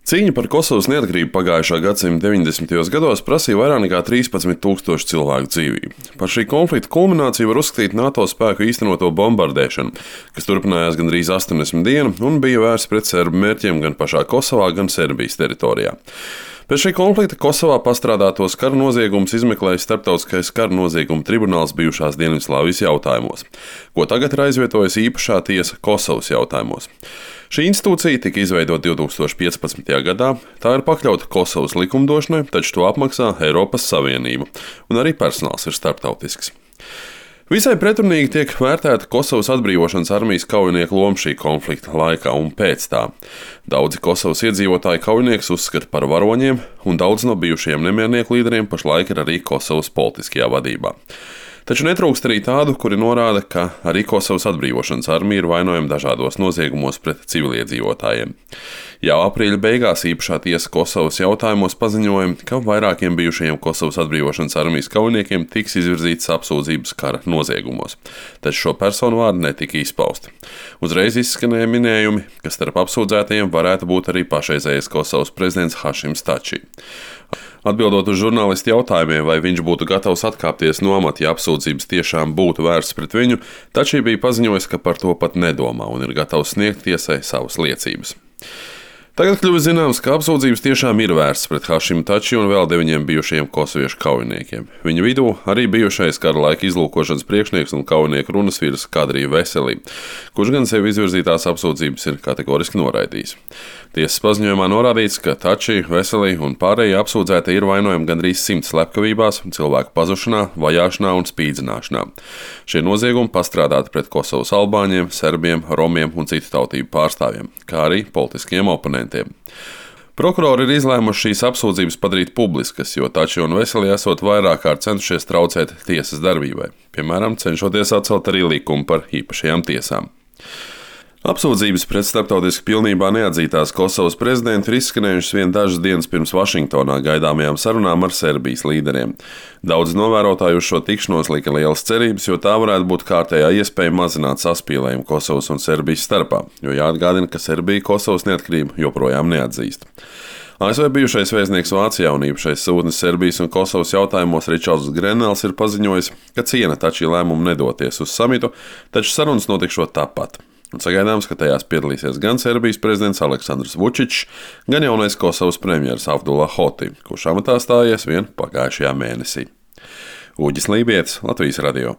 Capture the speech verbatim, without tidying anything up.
Cīņa par Kosovas neatkarību pagājušā gadsimta deviņdesmitajos gados prasīja vairāk nekā trīspadsmit tūkstošu cilvēku dzīvību. Par šī konflikta kulmināciju var uzskatīt NATO spēku īstenoto bombardēšanu, kas turpinājās gandrīz astoņdesmit dienu un bija vērsta pret serbu mērķiem gan pašā Kosovā, gan Serbijas teritorijā. Pēc šī konflikta Kosovā pastrādātos kara noziegumus izmeklēja Starptautiskais kara noziegumu tribunāls bijušās Dienvidslāvijas jautājumos, ko tagad ir aizvietojusi īpašā tiesa Kosovas jautājumos. Šī institūcija tika izveidota divs tūkstoši piecpadsmitajā gadā, tā ir pakļauta Kosovas likumdošanai, taču to apmaksā Eiropas Savienība, un arī personāls ir starptautisks. Visai pretrunīgi tiek vērtēta Kosovas atbrīvošanas armijas kaujinieku loma šī konflikta laikā un pēc tā. Daudzi Kosovas iedzīvotāji kaujiniekus uzskata par varoņiem, un daudz no bijušajiem nemiernieku līderiem pašlaik ir arī Kosovas politiskajā vadībā. Taču netrūkst arī tādu, kuri norāda, ka arī Kosovas atbrīvošanas armija ir vainojama dažādos noziegumos pret civiliedzīvotājiem. Jau aprīļa beigās īpašā tiesa Kosovas jautājumos paziņoja, ka vairākiem bijušajiem Kosovas atbrīvošanas armijas kaujiniekiem tiks izvirzītas apsūdzības kara noziegumos, taču šo personu vārdi netika izpausti. Uzreiz izskanēja minējumi, ka starp apsūdzētajiem varētu būt arī pašreizējais Kosovas prezidents Hašims Tači. Atbildot uz žurnālistu jautājumiem, vai viņš būtu gatavs atkāpties no amata, ja apsūdzības tiešām būtu vērstas pret viņu, Tači bija paziņojis, ka par to pat nedomā un ir gatavs sniegt tiesai savas liecības. Tagad kļuva zināms, ka apsūdzības tiešām ir vērstas pret Hašimu Tači un vēl deviņiem bijušajiem kosoviešu kaujiniekiem. Viņu vidū arī bijušais kara laika izlūkošanas priekšnieks un kaujinieku runas vīrs Kadrija Veselī, kurš gan sev izvirzītās apsūdzības ir kategoriski noraidījis. Tiesas paziņojumā norādīts, ka Tači, Veselī un pārējie apsūdzētie ir vainojami gandrīz simts slepkavībās, cilvēku pazušanā, vajāšanā un spīdzināšanā. Šie noziegumi pastrādāti pret Kosovas albāņiem, serbiem, romiem un citu tautību pārstāvjiem, kā arī politiskiem oponentiem. Prokurori ir izlēmuši šīs apsūdzības padarīt publiskas, jo Tači un Veselī esot vairāk kārt centušies traucēt tiesas darbībai, piemēram, cenšoties atcelt arī likumu par īpašajām tiesām. Apsūdzības pret starptautiski pilnībā neatzītās Kosovas prezidentu ir izskanējušas vien dažas dienas pirms Vašingtonā gaidāmajām sarunām ar Serbijas līderiem. Daudz novērotāju uz šo tikšanos lika lielas cerības, jo tā varētu būt kārtējā iespēja mazināt saspīlējumu Kosovas un Serbijas starpā, jo jāatgādina, ka Serbija Kosovas neatkarību joprojām neatzīst. A S V bijušais vēstnieks Vācijā un īpašais sūtnis Serbijas un Kosovas jautājumos Ričards Grenels ir paziņojis, ka ciena Tači lēmumu nedoties uz samitu, taču sarunas notikšot tāpat. Un sagaidāms, ka tajās piedalīsies gan Serbijas prezidents Aleksandrs Vučičs, gan jaunais Kosovas premjeras Abdullah Hoti, kurš amatā stājies vien pagājušajā mēnesī. Uģis Lībietis, Latvijas radio.